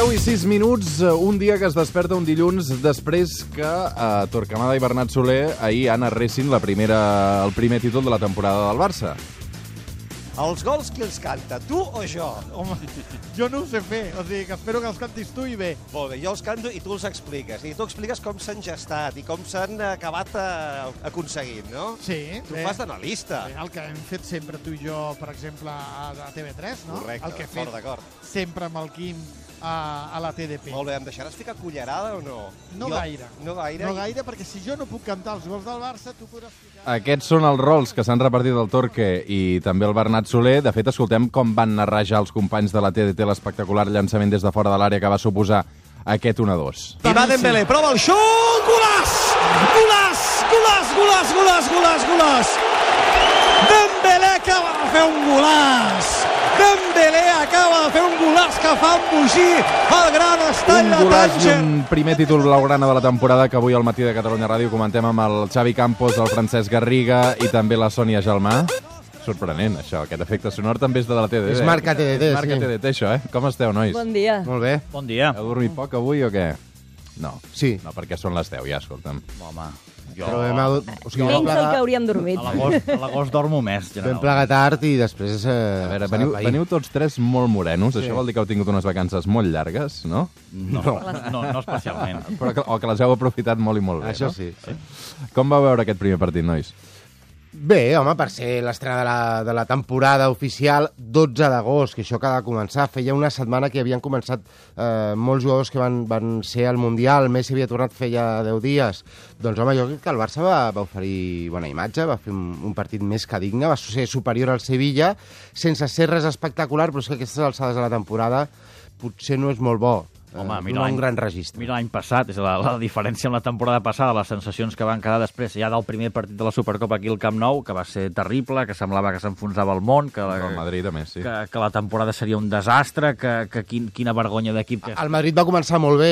10:06, un dia que es desperta un dilluns després que Torquemada i Bernat Soler ahir narressin el primer títol de la temporada del Barça. Els gols qui els canta, tu o jo? Home, jo no ho sé fer, o sigui que espero que els cantis tu i bé. Molt bé, jo els canto i tu els expliques. I tu expliques com s'han gestat i com s'han acabat aconseguint, no? Sí. Tu fas d'analista. El que hem fet sempre tu i jo, per exemple, a TV3, no? Correcte, el que he fet d'acord. sempre amb el Quim a la TDP. Molt bé, em deixaràs ficar cullerada o no? No gaire. No gaire? No gaire, perquè si jo no puc cantar els gols del Barça, tu podràs ficar... Aquests són els rols que s'han repartit el Torque i també el Bernat Soler. De fet, escoltem com van narrar ja els companys de la TDT l'espectacular llançament des de fora de l'àrea que va suposar aquest 1-2. I va Dembélé, prova el xut! Golaç! Golaç! Golaç! Golaç! Golaç! Golaç! Golaç! Dembélé acaba de fer un golaç! Dembélé acaba de fer un golaç que fa embogir el gran estall de Tànger. Un primer títol blaugrana de la temporada que avui al Matí de Catalunya Ràdio comentem amb el Xavi Campos, el Francesc Garriga i també la Sònia Gelmà. Sorprenent, això. Aquest efecte sonor també és de la TDT. És marca TDT, és marca TDT, això, Com esteu, nois? Bon dia. Molt bé. Bon dia. Heu dormit poc avui o què? No. Sí. No, perquè són les 10, ja, escolta'm. Home, jo... Però Menys del que hauríem dormit. A l'agost dormo més, Vam generalment. plegar tard i després... A veure, veniu tots tres molt morenos. Això vol dir que heu tingut unes vacances molt llargues, no? No especialment. O que les heu aprofitat molt i molt bé, Això no? sí. Com va veure aquest primer partit, nois? Bé, home, per ser l'estrena de la temporada oficial, 12 d'agost, que això acaba de començar. Feia una setmana que havien començat molts jugadors que van ser al Mundial. Messi havia tornat feia 10 dies. Doncs, home, jo crec que el Barça va oferir bona imatge, va fer un partit més que digne, va ser superior al Sevilla, sense ser res espectacular, però és que aquestes alçades de la temporada potser no és molt bo. Home, no un gran registre. Mira l'any passat, és la diferència amb la temporada passada, les sensacions que van quedar després ja del primer partit de la Supercopa aquí al Camp Nou, que va ser terrible, que semblava que s'enfonsava el món, que El Madrid, a més, sí. que la temporada seria un desastre, que quina vergonya d'equip que és. El Madrid va començar molt bé,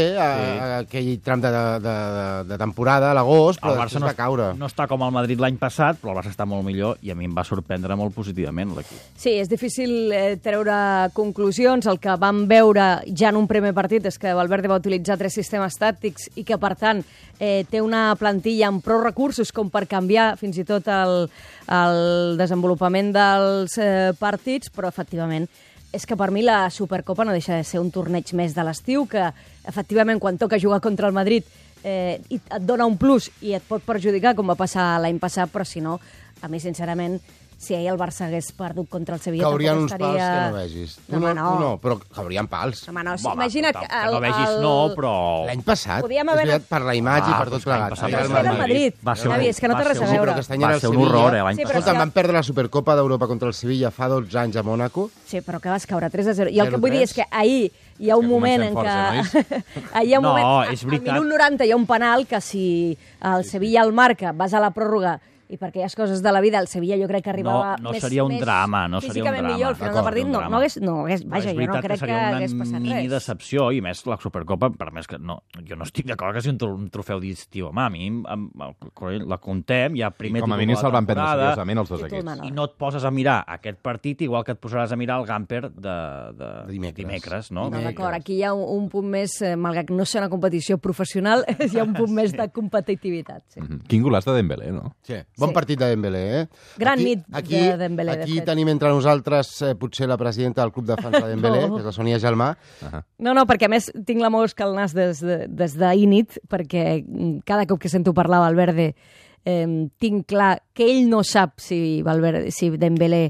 aquell tram de temporada, a l'agost, però després va caure. No està com el Madrid l'any passat, però el Barça està molt millor i a mi em va sorprendre molt positivament l'equip. Sí, és difícil treure conclusions. El que vam veure ja en un primer partit és que Valverde va utilitzar 3 sistemes tàctics i que, per tant, té una plantilla amb prou recursos com per canviar fins i tot el desenvolupament dels partits, però, efectivament, és que per mi la Supercopa no deixa de ser un torneig més de l'estiu, que, efectivament, quan toca jugar contra el Madrid et dona un plus i et pot perjudicar, com va passar l'any passat, però, si no, a mi, sincerament, si ahir el Barça hagués perdut contra el Sevilla... Caurien uns pals que no vegis. Tu no, però caurien pals. Home, no, imagina't... Que no vegis no, però... L'any passat, Podíem haver... és veritat, per la imatge i per tot plegat. Però era el Madrid. Javi, és que no té res a veure. Però aquest any era el Va ser un Sevilla. horror, l'any Escolta, van perdre la Supercopa d'Europa contra el Sevilla fa 12 anys a Mònaco. Sí, però que vas caure 3-0. I el que vull dir és que ahir hi ha un moment en què... Ahir hi ha un moment... No, és veritat. Al minut 90 hi ha un penal que si el Sevilla el marca, vas a la pròrroga i per aquelles coses de la vida, el Sevilla jo crec que arribava no seria un drama, no seria un drama. Físicament millor, al final del partit no hagués... Vaja, jo no crec que hagués passat res. Seria una mini decepció, i més la Supercopa, per més que no, jo no estic d'acord que sigui un trofeu d'estiu. Home, a mi la contem, ja primer com a mínim se'l van prendre seriosament els dos equips. I no et poses a mirar aquest partit igual que et posaràs a mirar el Gamper de dimecres, no? No, d'acord, aquí hi ha un punt més, malgrat que no sigui una competició professional, hi ha un punt més de competitivitat. Quin golaç de Dembélé, no? Sí. Bon partit de Dembélé, Gran nit de Dembélé, de fet. Aquí tenim entre nosaltres potser la presidenta del club de fans de Dembélé, que és la Sònia Gelmà. No, perquè a més tinc la mosca al nas des d'ahir nit, perquè cada cop que sento parlar Valverde tinc clar que ell no sap si Dembélé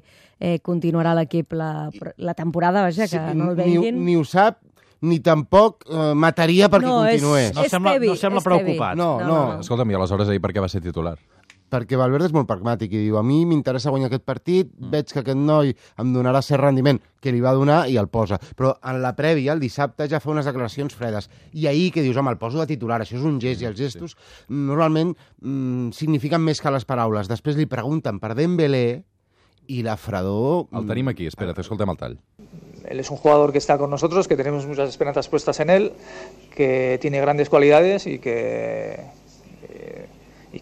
continuarà a l'equip la temporada, vaja, que no el veguin. Ni ho sap, ni tampoc mataria perquè continués. No sembla preocupat. No. Escolta'm, i aleshores ahir per què va ser titular? Perquè Valverde és molt pragmàtic i diu, a mi m'interessa guanyar aquest partit, veig que aquest noi em donarà cert rendiment, que li va donar i el posa. Però en la prèvia, el dissabte, ja fa unes declaracions fredes. I ahir que dius, home, el poso de titular, això és un gest, i els gestos normalment signifiquen més que les paraules. Després li pregunten per Dembélé i la fredor... El tenim aquí, espera't, escoltem el tall. Él es un jugador que está con nosotros, que tenemos muchas esperanzas puestas en él, que tiene grandes cualidades y que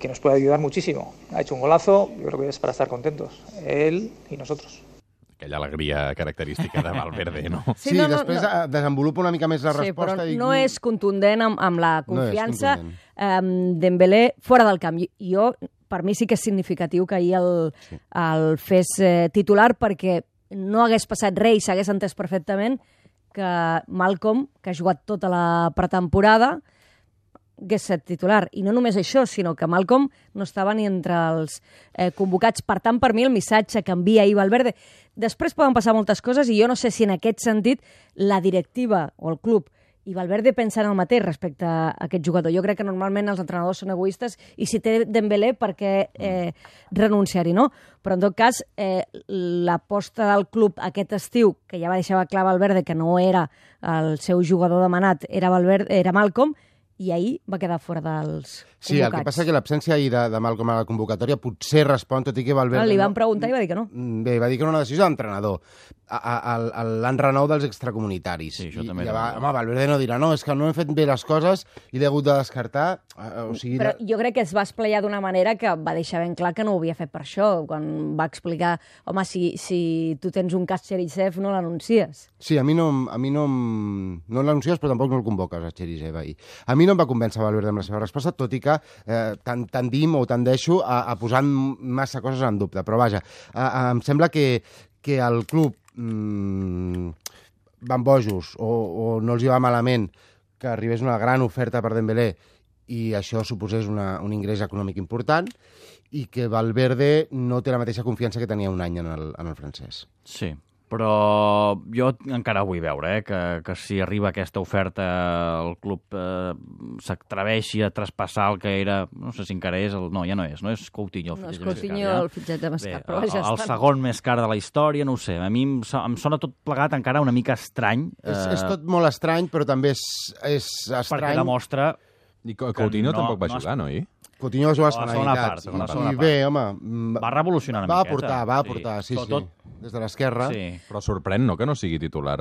nos puede ayudar muchísimo. Ha hecho un golazo, yo creo que es para estar contentos, él y nosotros. Aquella alegria característica de Valverde, no? Sí, després desenvolupa una mica més la resposta. Sí, però no és contundent amb la confiança. Dembélé fora del camp. Jo, per mi sí que és significatiu que ahir el fes titular, perquè no hagués passat res i s'hagués entès perfectament que Malcom, que ha jugat tota la pretemporada, hagués set titular. I no només això, sinó que Malcom no estava ni entre els convocats. Per tant, per mi, el missatge que envia ahir Valverde... Després poden passar moltes coses i jo no sé si en aquest sentit la directiva o el club i Valverde pensa en el mateix respecte a aquest jugador. Jo crec que normalment els entrenadors són egoistes i si té Dembélé, per què renunciar-hi, no? Però en tot cas, l'aposta del club aquest estiu, que ja va deixar clar Valverde que no era el seu jugador demanat, era Malcom, i ahir va quedar fora dels convocats. Sí, el que passa és que l'absència ahir de Malcom a la convocatòria potser respon, tot i que Valverde... Li van preguntar i va dir que no. Bé, va dir que era una decisió d'entrenador. L'enrenou dels extracomunitaris. Sí, això també. Home, Valverde no dirà, no, és que no hem fet bé les coses i l'he hagut de descartar. Però jo crec que es va esplayar d'una manera que va deixar ben clar que no ho havia fet per això, quan va explicar, home, si tu tens un cas Cherisev, no l'anuncies. Sí, a mi no l'anuncies, però tampoc no el convoques, a Cherisev ahir. A mi no em va convèncer Valverde amb la seva resposta, tot i que tendim o tendeixo a posar massa coses en dubte. Però vaja, em sembla que el club van bojos o no els hi va malament que arribés una gran oferta per Dembélé i això suposés un ingrés econòmic important i que Valverde no té la mateixa confiança que tenia un any en el francès. Sí, però jo encara vull veure que si arriba aquesta oferta el club s'atreveixi a traspassar el que era, no sé si encara és, no, ja no és Coutinho. No és Coutinho el fitxatge més car, però ja el segon més car de la història, no ho sé, a mi em sona tot plegat encara una mica estrany. És tot molt estrany, però també és estrany. Perquè demostra... I Coutinho tampoc va jugar, no? Coutinho va jugar a la segona part. I bé, home... Va revolucionar una miqueta. Va aportar, sí. Des de l'esquerra. Sí. Però sorprèn, no?, que no sigui titular,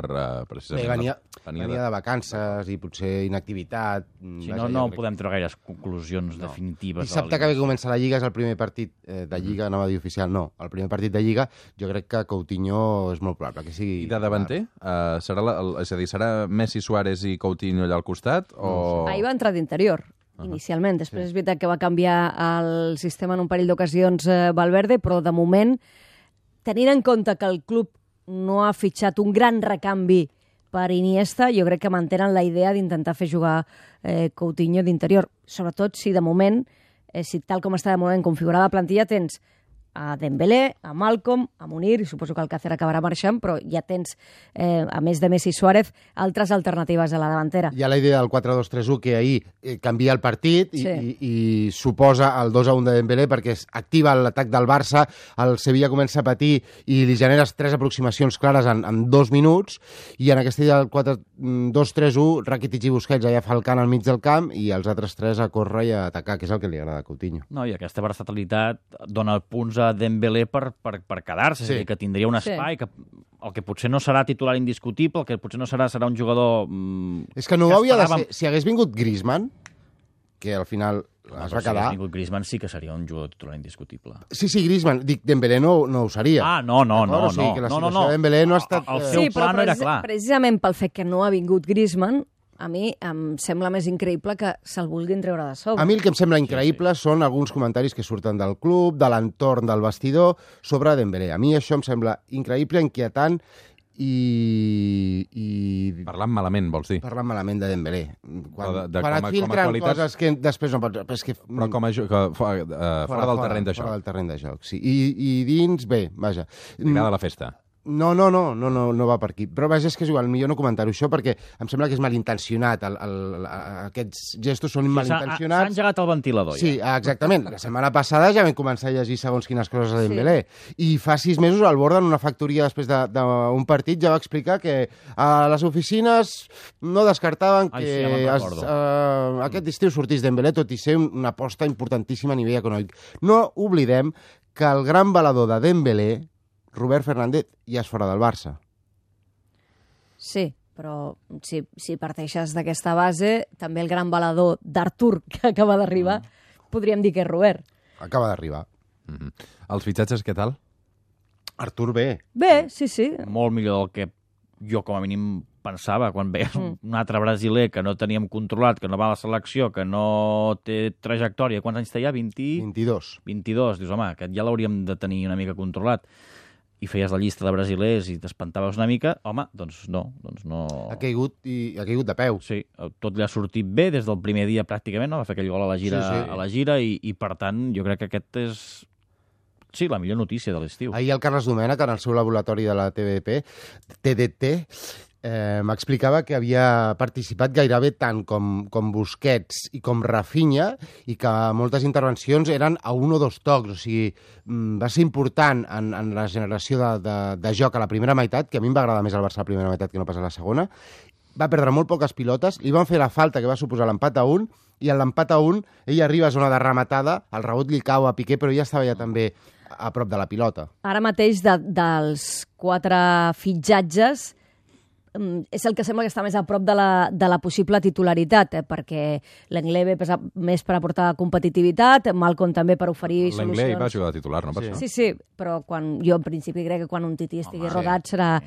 precisament. Bé, venia de vacances i potser inactivitat. Sí, no podem treure gaires conclusions definitives. Dissabte que comença la Lliga és el primer partit de Lliga, anava a dir oficial, no. El primer partit de Lliga, jo crec que Coutinho és molt probable que sigui... I de davanter? És a dir, serà Messi, Suárez i Coutinho allà al costat? O... Ahir va entrar d'interior. Inicialment. Després és veritat que va canviar el sistema en un parell d'ocasions Valverde, però de moment, tenint en compte que el club no ha fitxat un gran recanvi per Iniesta, jo crec que mantenen la idea d'intentar fer jugar Coutinho d'interior. Sobretot si de moment, si tal com està de moment configurada la plantilla, tens a Dembélé, a Malcom, a Munir, i suposo que Alcácer acabarà marxant, però ja tens, a més de Messi i Suárez, altres alternatives a la davantera. Hi ha la idea del 4-2-3-1 que ahir canvia el partit i suposa el 2-1 de Dembélé perquè activa l'atac del Barça, el Sevilla comença a patir i li generes 3 aproximacions clares en 2 minuts i en aquesta idea del 4-2-3-1 Rakitic i Busquets allà falcant al mig del camp i els altres 3 a córrer i a atacar, que és el que li agrada a Coutinho. No, i aquesta versatilitat dona punts a Dembélé per quedar-se, és a dir, que tindria un espai, que el que potser no serà titular indiscutible, el que potser no serà un jugador... És que no ho havia de ser. Si hagués vingut Griezmann, que al final es va quedar... Si hagués vingut Griezmann sí que seria un jugador titular indiscutible. Sí, Griezmann. Dic, Dembélé no ho seria. Ah, no. O sigui, que la situació de Dembélé no ha estat... El seu pla no era clar. Precisament pel fet que no ha vingut Griezmann, a mi em sembla més increïble que se'l vulguin treure de sobre. A mi el que em sembla increïble són alguns comentaris que surten del club, de l'entorn del vestidor, sobre Dembélé. A mi això em sembla increïble, inquietant i... Parlant malament, vols dir? Parlant malament de Dembélé. Quan et filtren coses que després no pots... Però com a fora del terreny de joc. Fora del terreny de joc, sí. I dins, bé, vaja. Lligada a la festa. No va per aquí. Però vaja, és que és igual, millor no comentar-ho això perquè em sembla que és malintencionat. Aquests gestos són malintencionats. S'ha engegat el ventilador, ja. Sí, exactament. La setmana passada ja vam començar a llegir segons quines coses a Dembélé. I fa 6 mesos al Borda, en una factoria després d'un partit, ja va explicar que a les oficines no descartaven que aquest estiu sortís Dembélé, tot i ser una aposta importantíssima a nivell econòmic. No oblidem que el gran valedor de Dembélé, Robert Fernández, ja és fora del Barça. Sí, però si parteixes d'aquesta base, també el gran valedor d'Artur, que acaba d'arribar, podríem dir que és Robert. Acaba d'arribar. Els fitxatges, què tal? Artur bé. Bé, sí. Molt millor del que jo com a mínim pensava, quan veies un altre brasiler que no teníem controlat, que no va a la selecció, que no té trajectòria. Quants anys té ja? 22. 22. Dius, home, aquest ja l'hauríem de tenir una mica controlat. I feies la llista de brasilers i t'espantaves una mica, home, doncs no. Ha caigut de peu. Sí, tot li ha sortit bé des del primer dia pràcticament, no? Va fer aquell gol a la gira i per tant, jo crec que aquest és... Sí, la millor notícia de l'estiu. Ahir el Carles Domènech, en el seu laboratori de la TDT, m'explicava que havia participat gairebé tant com Busquets i com Rafinha i que moltes intervencions eren a 1 o 2 tocs. O sigui, va ser important en la generació de joc a la primera meitat, que a mi em va agradar més el Barça a la primera meitat que no pas a la segona. Va perdre molt poques pilotes, li van fer la falta que va suposar l'empat a 1 i en l'empat a 1 ell arriba a zona de rematada, el rebot li cau a Piqué, però ja estava ja també a prop de la pilota. Ara mateix, dels 4 fitxatges, és el que sembla que està més a prop de la possible titularitat, perquè l'Anglès ve més per aportar competitivitat, Malcom també per oferir solucions. L'Anglès va jugar de titular, no? Per això. Sí, però jo en principi crec que quan un tití estigui rodat serà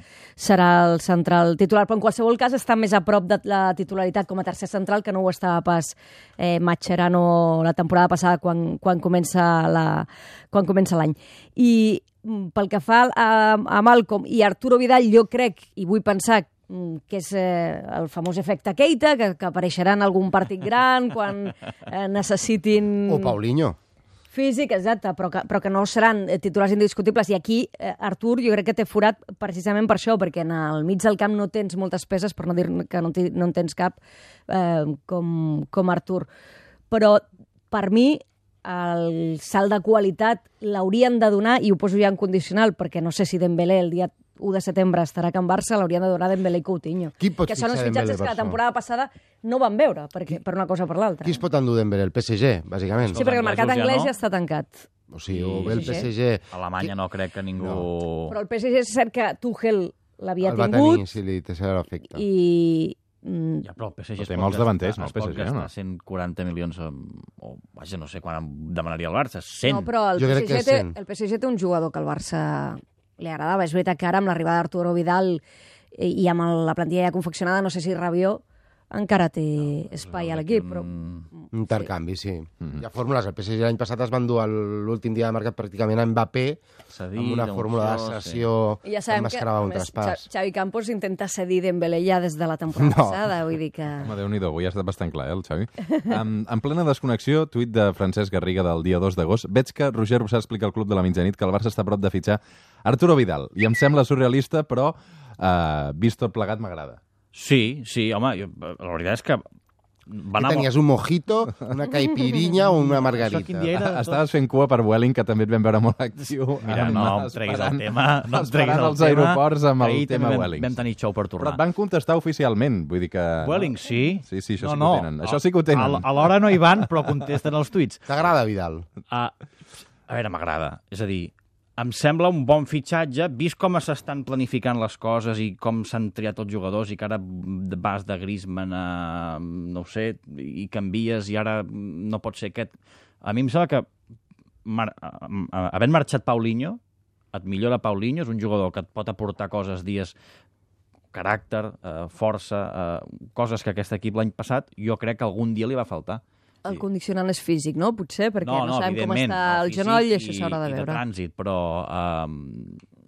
el central titular, però en qualsevol cas està més a prop de la titularitat com a tercer central que no ho estava pas Mascherano la temporada passada quan comença l'any. I pel que fa a Malcom i Arturo Vidal, jo crec, i vull pensar que és el famós efecte Keita, que apareixerà en algun partit gran quan necessitin... O Paulinho. Físic, exacte, però que no seran titulars indiscutibles. I aquí, Artur, jo crec que té forat precisament per això, perquè en el mig del camp no tens moltes peces, per no dir que no en tens cap, com Artur. Però, per mi, el salt de qualitat l'haurien de donar, i ho poso ja en condicional, perquè no sé si Dembélé el dia 1 de setembre estarà a Can Barça, l'haurien de donar Dembélé i Coutinho. Que són els fitxatges que la temporada passada no van veure, per una cosa o per l'altra. Qui es pot endur Dembélé? El PSG, bàsicament. Sí, perquè el mercat anglès ja està tancat. O sigui, o bé el PSG... A Alemanya no crec que ningú... Però el PSG és cert que Tuchel l'havia tingut. El va tenir, sí, li té l'efecte. Ja, però el PSG té molts davanters, no? Es pot gastar 140 milions, o vaja, no sé quan demanaria el Barça, 100. No, però el PSG té un jugador que el Barça li agradava. És veritat que ara, amb l'arribada d'Arturo Vidal i amb la plantilla ja confeccionada, no sé si Rabiot encara té espai a l'equip, però... Intercanvi, sí. Hi ha fórmules. El PSG l'any passat es van dur l'últim dia de mercat pràcticament a Mbappé amb una fórmula de cessió que emmascarava un traspàs. Xavi Campos intenta cedir Dembélé ja des de la temporada passada, vull dir que... Home, Déu-n'hi-do, avui ha estat bastant clar, el Xavi. En plena desconnexió, tuit de Francesc Garriga del dia 2 d'agost, veig que Roger Rossà explica al Club de la Mitjanit que el Barça està a prop de fitxar Arturo Vidal, i em sembla surrealista, però vist tot plegat m'agrada. Sí, home, la veritat és que... Tenies un mojito, una caipirinha o una margarita. Estaves fent cua per Welling, que també et vam veure molt actiu. Mira, no em treguis el tema. Esperant als aeroports amb el tema Welling. Vam tenir xou per tornar. Però et van contestar oficialment, vull dir que... Welling, sí. Sí, això sí que ho tenen. Això sí que ho tenen. Alhora no hi van, però contesten els tuits. T'agrada Vidal? A veure, m'agrada. És a dir, em sembla un bon fitxatge, vist com s'estan planificant les coses i com s'han triat els jugadors i que ara vas de Griezmann a, no ho sé, i canvies i ara no pot ser aquest. A mi em sembla que, havent marxat Paulinho, et millora Paulinho, és un jugador que et pot aportar coses, dies, caràcter, força, coses que aquest equip l'any passat, jo crec que algun dia li va faltar. El condicionant és físic, no? Potser, perquè no sabem com està el genoll i això s'haurà de veure. I de trànsit, però...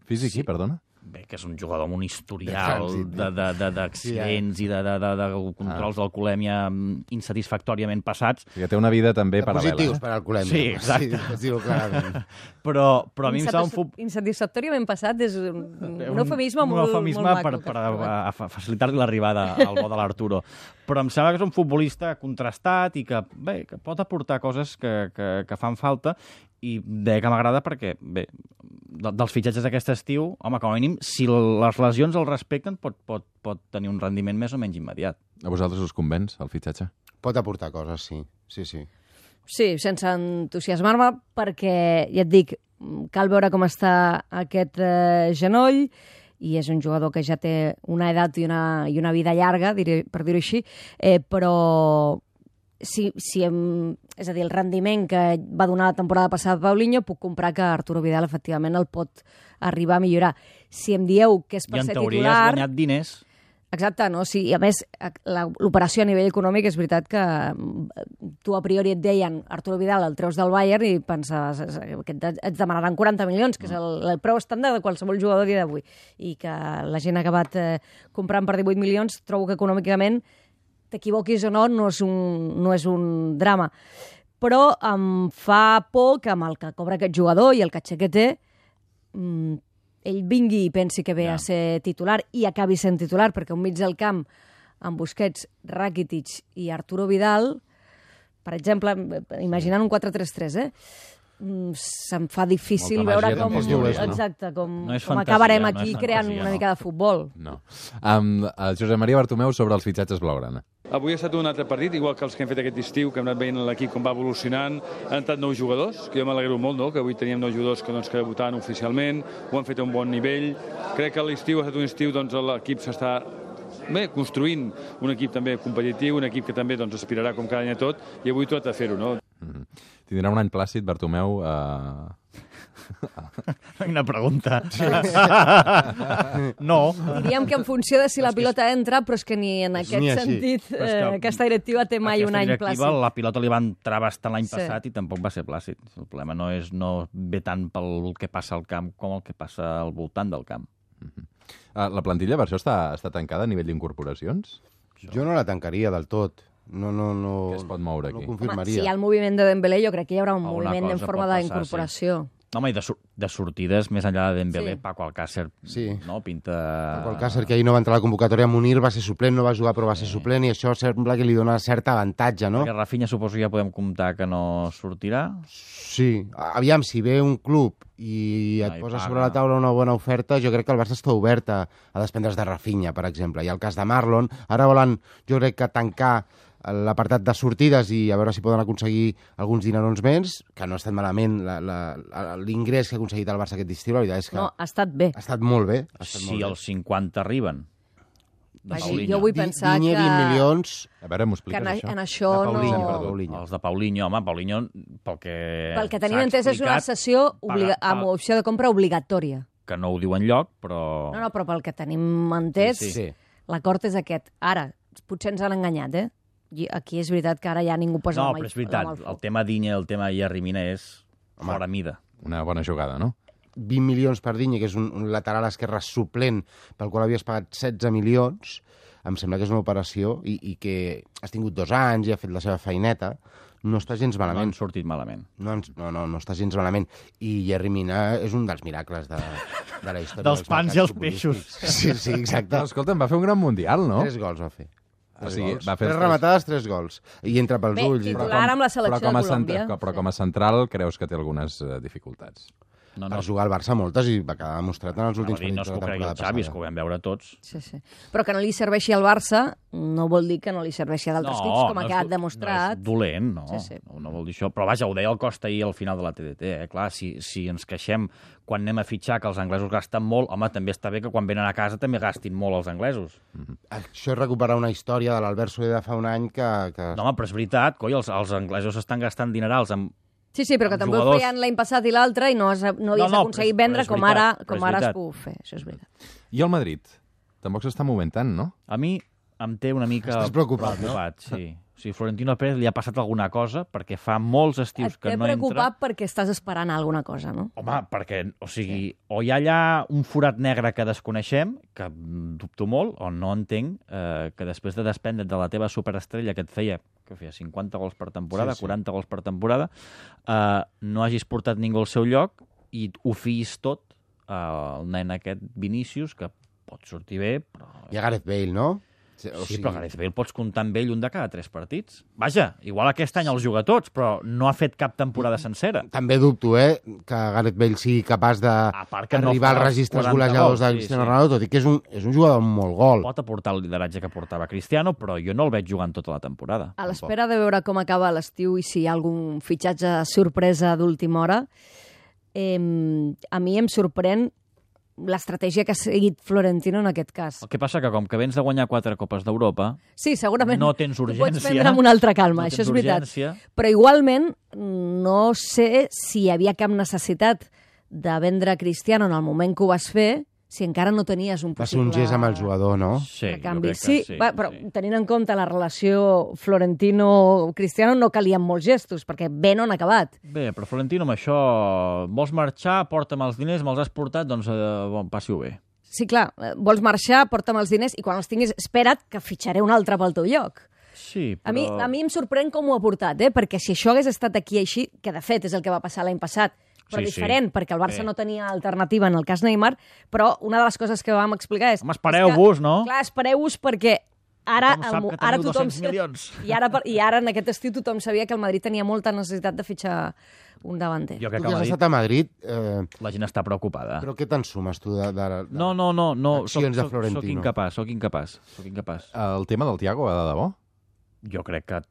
Físic, sí, perdona? Bé, que és un jugador amb un historial d'accidents i de controls d'alcoholèmia insatisfactòriament passats. Que té una vida també paral·lela. Positius per alcoholèmia. Sí, exacte. Sí, clarament. Però a mi em sembla un futbol... Insatisfactòriament passat és un eufemisme molt maco. Per facilitar-li l'arribada al bo de l'Arturo. Però em sembla que és un futbolista contrastat i que pot aportar coses que fan falta, i deia que m'agrada perquè, bé, dels fitxatges d'aquest estiu, home, com a mínim, si les lesions el respecten, pot tenir un rendiment més o menys immediat. A vosaltres us convenç, el fitxatge? Pot aportar coses, sí. Sí, sense entusiasmar-me, perquè, ja et dic, cal veure com està aquest genoll, i és un jugador que ja té una edat i una vida llarga, per dir-ho així, però és a dir, el rendiment que va donar la temporada passada Paulinho, puc comprar que Arturo Vidal efectivament el pot arribar a millorar. Si em dieu que és per ser titular... I en teoria has guanyat diners. Exacte, no? Sí, i a més, l'operació a nivell econòmic és veritat que tu a priori et deien Arturo Vidal el treus del Bayern i pensaves que et demanaran 40 milions, que és el preu estàndard de qualsevol jugador a dia d'avui, i que la gent ha acabat comprant per 18 milions, trobo que econòmicament, t'equivoquis o no, no és un drama. Però em fa por que amb el que cobra aquest jugador i el caché que té, ell vingui i pensi que ve a ser titular i acabi sent titular, perquè un mig del camp amb Busquets, Rakitic i Arturo Vidal, per exemple, imaginant un 4-3-3, se'm fa difícil veure com... Exacte, com acabarem aquí creant una mica de futbol. No. Josep Maria Bartomeu sobre els fitxatges blaugrana. Avui ha estat un altre partit, igual que els que hem fet aquest estiu, que hem anat veient l'equip com va evolucionant. Han entrat 9 jugadors, que jo m'alegro molt, no? Que avui teníem 9 jugadors que debutaven oficialment, ho han fet a un bon nivell. Crec que l'estiu ha estat un estiu, l'equip s'està construint un equip també competitiu, un equip que també aspirarà com cada any a tot, i avui tot a fer-ho, no? Tindrà un any plàcid, Bartomeu? Una pregunta. No. Diríem que en funció de si la pilota entra, però és que ni en aquest sentit aquesta directiva té mai un any plàcid. La pilota li va entrar bastant l'any passat i tampoc va ser plàcid. El problema no ve tant pel que passa al camp com el que passa al voltant del camp. La plantilla per això està tancada a nivell d'incorporacions? Jo no la tancaria del tot. No. Què es pot moure aquí? No confirmaria. Si hi ha el moviment de Dembélé, jo crec que hi haurà un moviment en forma d'incorporació. Home, i de sortides, més enllà de Dembélé, Paco Alcácer, no? Pinta... Paco Alcácer, que ahir no va entrar a la convocatòria, Munir va ser suplent, no va jugar però va ser suplent, i això sembla que li dona cert avantatge, no? Perquè Rafinha suposo ja podem comptar que no sortirà? Sí. Aviam, si ve un club i et posa sobre la taula una bona oferta, jo crec que el Barça està obert a desprendre's de Rafinha, per exemple. I el cas de Marlon, ara volen, jo crec que tancar l'apartat de sortides i a veure si poden aconseguir alguns dinerons més, que no ha estat malament l'ingrés que ha aconseguit el Barça aquest estiu, la veritat és que... No, ha estat bé. Ha estat molt bé. Si els 50 arriben. Jo vull pensar que... 20 milions... A veure, m'ho expliques, això? En això Paulinho. Els de Paulinho, home, Paulinho, pel que tenim entès, és una cessió amb opció de compra obligatòria. Que no ho diu enlloc, però... No, però pel que tenim entès, l'acord és aquest. Ara, potser ens han enganyat, Aquí és veritat que ara ja ningú posa la mà al foc. No, però és veritat, el tema Digne i el tema Yerry Mina és fora mida. Una bona jugada, no? 20 milions per Digne, que és un lateral esquerre suplent pel qual havies pagat 16 milions, em sembla que és una operació i que has tingut 2 anys i ha fet la seva feineta, no està gens malament. No han sortit malament. No està gens malament. I Yerry Mina és un dels miracles de la història. Dels pans i els peixos. Sí, exacte. Escolta'm, va fer un gran mundial, no? 3 gols va fer. O sigui, va fer 3 rematades, 3 gols. I entra pels ulls. Titular amb la selecció de Colòmbia. Però com a central creus que té algunes dificultats? Per jugar al Barça moltes i va quedar demostrat en els últims partits de la temporada passada. No és que ho cregui el Xavi, és que ho vam veure tots. Sí. Però que no li serveixi al Barça no vol dir que no li serveixi a d'altres equips, com ha quedat demostrat. No és dolent, no. No vol dir això. Però vaja, ho deia el Costa ahir al final de la TDT. Clar, si ens queixem quan anem a fitxar que els anglesos gasten molt, home, també està bé que quan venen a casa també gastin molt els anglesos. Això és recuperar una història de l'Albert Soler de fa un any que... No, home, però és veritat, coi, els anglesos estan gastant dinerals amb... Sí, però que també ho feien l'any passat i l'altre i no havies aconseguit vendre com ara es puc fer. Això és veritat. I el Madrid? Tampoc s'està movent tant, no? A mi em té una mica... Estàs preocupat, no? Sí. O sigui, Florentino Pérez li ha passat alguna cosa perquè fa molts estius que no entra... Et té preocupat perquè estàs esperant alguna cosa, no? Home, perquè, o sigui, o hi ha allà un forat negre que desconeixem, que dubto molt, o no entenc que després de desprendre't de la teva superestrella que et feia 50 gols per temporada, 40 gols per temporada, no hagis portat ningú al seu lloc i ho fiïs tot al nen aquest Vinícius, que pot sortir bé, però... I a Gareth Bale, no? Sí, però Gareth Bale pots comptar amb ell un de cada 3 partits. Vaja, igual aquest any els juga tots, però no ha fet cap temporada sencera. També dubto, que Gareth Bale sigui capaç d'arribar als registres golejadors de Cristiano Ronaldo, tot i que és un jugador amb molt gol. Pot aportar el lideratge que portava Cristiano, però jo no el veig jugant tota la temporada. A l'espera de veure com acaba l'estiu i si hi ha algun fitxatge sorpresa d'última hora, a mi em sorprèn l'estratègia que ha seguit Florentino en aquest cas. El que passa que com que vens de guanyar 4 Copes d'Europa, Sí, segurament no tens ho pots urgència. prendre amb una altra calma, No això és tens veritat. urgència. Però igualment no sé si hi havia cap necessitat de vendre Cristiano en el moment que ho vas fer, si encara no tenies un Va ser possible... un gest amb el jugador, no? Sí, de canvi. jo crec que Però tenint en compte la relació Florentino-Cristiano no calien molts gestos, perquè bé no han acabat. Bé, però Florentino, amb això, vols marxar, porta'm els diners, me'ls has portat, doncs bon, passi-ho bé. Sí, clar, vols marxar, porta'm els diners i quan els tinguis, espera't que fitxaré un altre pel teu lloc. Sí, A però... mi em sorprèn com ho ha portat, perquè si això hagués estat aquí així, que de fet és el que va passar l'any passat, però Sí, sí. diferent, perquè el Barça Bé. no tenia alternativa en el cas Neymar, però una de les coses que vam explicar és... Home, espereu-vos, no? Clar, espereu-vos perquè ara, Tothom sap que ara teniu tothom... 200 milions. I ara en aquest estiu tothom sabia que el Madrid tenia molta necessitat de fitxar un davanter. Jo Tu crec que que has Madrid, estat a Madrid, la gent està preocupada. però què te'n sumes tu de No, accions de Florentino? Soc incapaç. El tema del Thiago, de debò? Jo crec que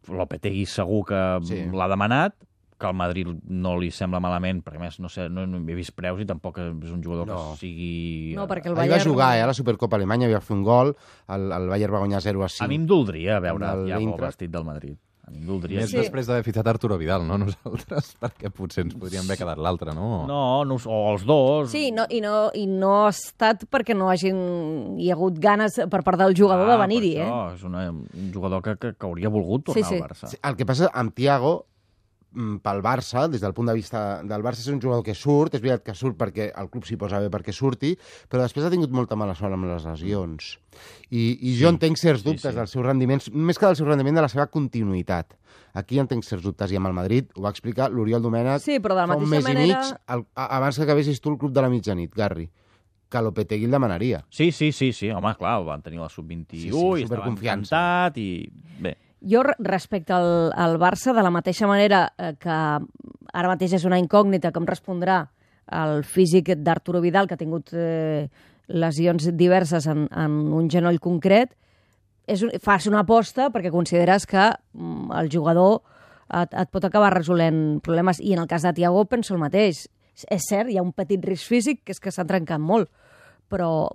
Lopetegui segur que Sí. l'ha demanat, que al Madrid no li sembla malament, perquè a més no sé, no he vist preus i tampoc és un jugador No. que sigui... No, perquè el Ahir va Bayern... jugar, a la Supercopa Alemanya, havia fet un gol, el Bayern va guanyar 0-5. A mi em doldria veure Amb el Thiago Eintracht. vestit del Madrid. A mi em doldria. Més després d'haver fitxat Arturo Vidal, no nosaltres, perquè potser ens podríem haver quedat l'altre, no? No, o els dos. Sí, i no ha estat perquè no hi ha hagut ganes per part del jugador de venir-hi, per això, és un jugador que hauria volgut tornar Sí, sí. al Barça. Sí, el que passa amb Thiago, pel Barça, des del punt de vista del Barça, és un jugador que surt, és veritat que surt perquè el club s'hi posa bé perquè surti, però després ha tingut molta mala sort amb les lesions. I jo entenc certs dubtes dels seus rendiments, més que del seu rendiment, de la seva continuïtat. Aquí entenc certs dubtes, i amb el Madrid ho va explicar l'Oriol Domènech Sí, però de la fa un mateixa mes manera- i mig, abans que acabessis tu el club de la mitjanit, Garri, que Lopetegui el demanaria. Sí, home, clar, van tenir la sub-21 Sí, sí, i estaven superconfiança. encantat i... Bé, Jo, respecte al Barça, de la mateixa manera que ara mateix és una incògnita com respondrà el físic d'Arturo Vidal, que ha tingut lesions diverses en un genoll concret, fas una aposta perquè consideres que el jugador et pot acabar resolent problemes. I en el cas de Thiago penso el mateix. És cert, hi ha un petit risc físic, que és que s'ha trencat molt, però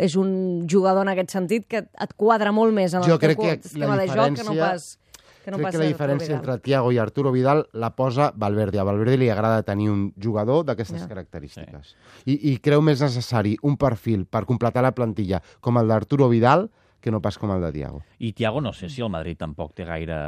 és un jugador en aquest sentit que et quadra molt més en el teu sistema de joc que no pas Crec que la diferència entre Thiago i Arturo Vidal la posa Valverde. A Valverde li agrada tenir un jugador d'aquestes característiques. I creu més necessari un perfil per completar la plantilla com el d'Arturo Vidal que no pas com el de Thiago. i Thiago no sé si el Madrid tampoc té gaire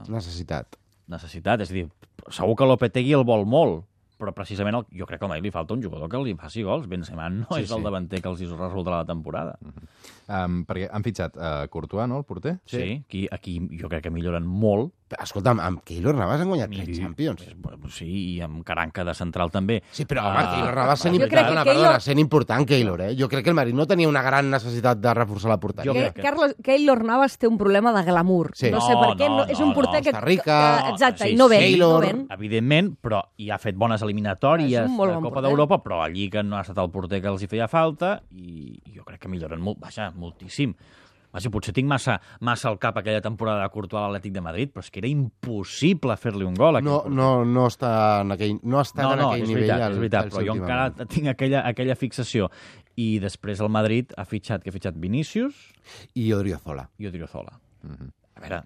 Necessitat. necessitat. És a dir, segur que Lopetegui el vol molt, però precisament jo crec que al Madrid li falta un jugador que li faci gols. Benzema no és el davanter que els resoldrà la temporada. Perquè han fitxat Courtois, no?, el porter? Sí, aquí jo crec que milloren molt. Escolta'm, amb Keylor Navas han guanyat 3 Champions. Sí, i amb Caranca de central també. Sí, però home, Keylor Navas sent Jo crec que Keylor- sent important, Keylor, eh? Jo crec que el Madrid no tenia una gran necessitat de reforçar la porteria. Jo crec que- Keylor Navas té un problema de glamour. Sí. No sé per què, és un porter que... Costa Rica, exacte, sí, i no ven. Keylor. No ven. Evidentment, però hi ha fet bones eliminatòries És un molt de bon Copa porter. d'Europa, però a Lliga no ha estat el porter que els hi feia falta i jo crec que milloren molt, moltíssim. Vaja, potser tinc massa al cap aquella temporada de Courtois a l'Atlètic de Madrid, però és que era impossible fer-li un gol. No està en aquell, no està en aquell és nivell. veritat, és veritat, però jo últimament. encara tinc aquella fixació. I després el Madrid ha fitxat Vinícius I Odriozola. i Odriozola. A veure,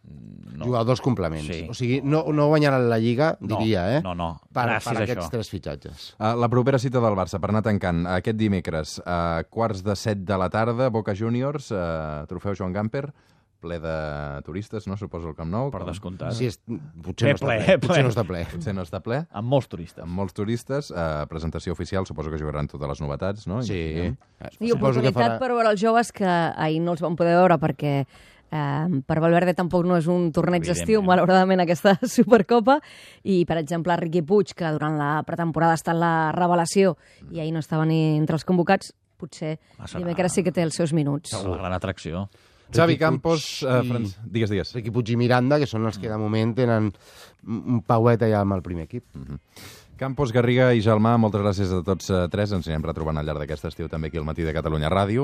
no. Jugadors complements. Sí. O sigui, no guanyaran la Lliga, diria, eh? No. Per Gràcies a aquests això. 3 fitxatges. La propera cita del Barça, per anar tancant, aquest dimecres, a 7:15 de la tarda, Boca Juniors, trofeu Joan Gamper, ple de turistes, no? Suposo el Camp Nou. Per descomptat. Sí, potser no està ple. Potser no està ple. Potser no està ple. Amb molts turistes. Amb molts turistes, presentació oficial, suposo que jugaran totes les novetats, no? Sí. I oportunitat per veure els joves que ahir no els vam poder veure perquè per Valverde tampoc no és un torneig d'estiu, malauradament, aquesta Supercopa, i, per exemple, Riqui Puig, que durant la pretemporada està en la revelació i ahir no estava ni entre els convocats, potser dimecres sí que té els seus minuts. La gran atracció. Xavi Riqui Campos, Puig digues. Riqui Puig i Miranda, que són els que de moment tenen un pauet allà amb el primer equip. Campos, Garriga i Jalmà, moltes gràcies a tots tres. Ens anirem retrobant al llarg d'aquest estiu també aquí al Matí de Catalunya Ràdio.